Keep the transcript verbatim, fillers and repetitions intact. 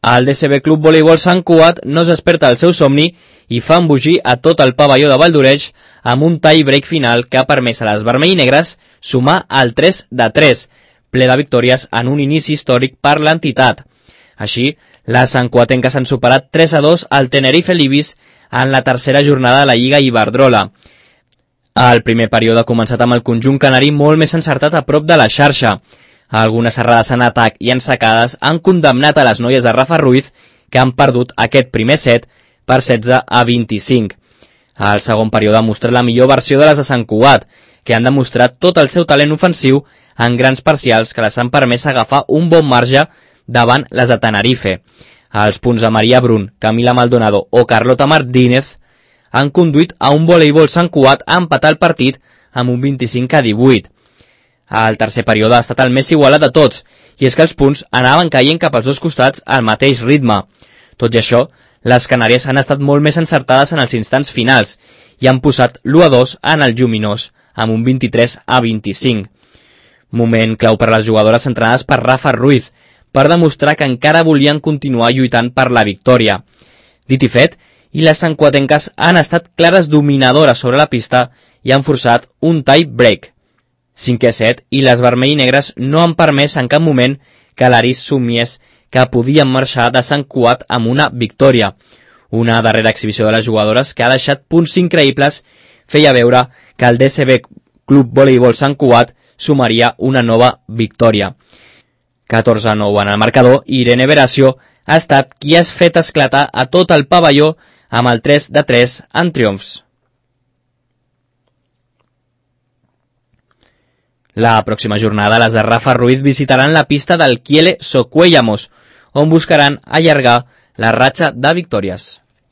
El D C B Club Voleibol Sant Cugat no es desperta del seu somni i fa embogir a tot el pavelló de Valldoreix amb un tie break final que ha permès a les vermell i negres sumar el tres de tres, ple de victòries en un inici històric per l'entitat. Així, les santcuatenques han superat tres a dos al Tenerife Libis en la tercera jornada de la Lliga Iberdrola. El primer període ha començat amb el conjunt canari molt més encertat a prop de la xarxa. Algunes errades en atac i en sacades han condemnat a les noies de Rafa Ruiz, que han perdut aquest primer set per setze a vint-i-cinc. El segon període ha mostrat la millor versió de les de Sant Cugat, que han demostrat tot el seu talent ofensiu en grans parcials que les han permès agafar un bon marge davant les de Tenerife. Els punts de Maria Brun, Camila Maldonado o Carlota Martínez han conduït a un voleibol Sant Cugat a empatar el partit amb un vint-i-cinc a divuit. El tercer període ha estat el més igualat de tots, i és que els punts anaven caient cap als dos costats al mateix ritme. Tot i això, les canàries han estat molt més encertades en els instants finals i han posat l'u a dos en el lluminós, amb un vint-i-tres a vint-i-cinc. Moment clau per les jugadores entrenades per Rafa Ruiz, per demostrar que encara volien continuar lluitant per la victòria. Dit i fet, i les santcuatenques han estat clares dominadores sobre la pista i han forçat un tie break. Cinquè set, i les vermell i negres no han permès en cap moment que l'Aris somiés que podien marxar de Sant Cugat amb una victòria. Una darrera exhibició de les jugadores que ha deixat punts increïbles feia veure que el D C B Club Voleibol Sant Cugat sumaria una nova victòria. catorze a nou en el marcador i Irene Veracio ha estat qui ha fet esclatar a tot el pavelló amb el tres de tres en triomfs. La pròxima jornada les de Rafa Ruiz visitaran la pista del Kiele Socuellamos, on buscaran allargar la ratxa de victòries.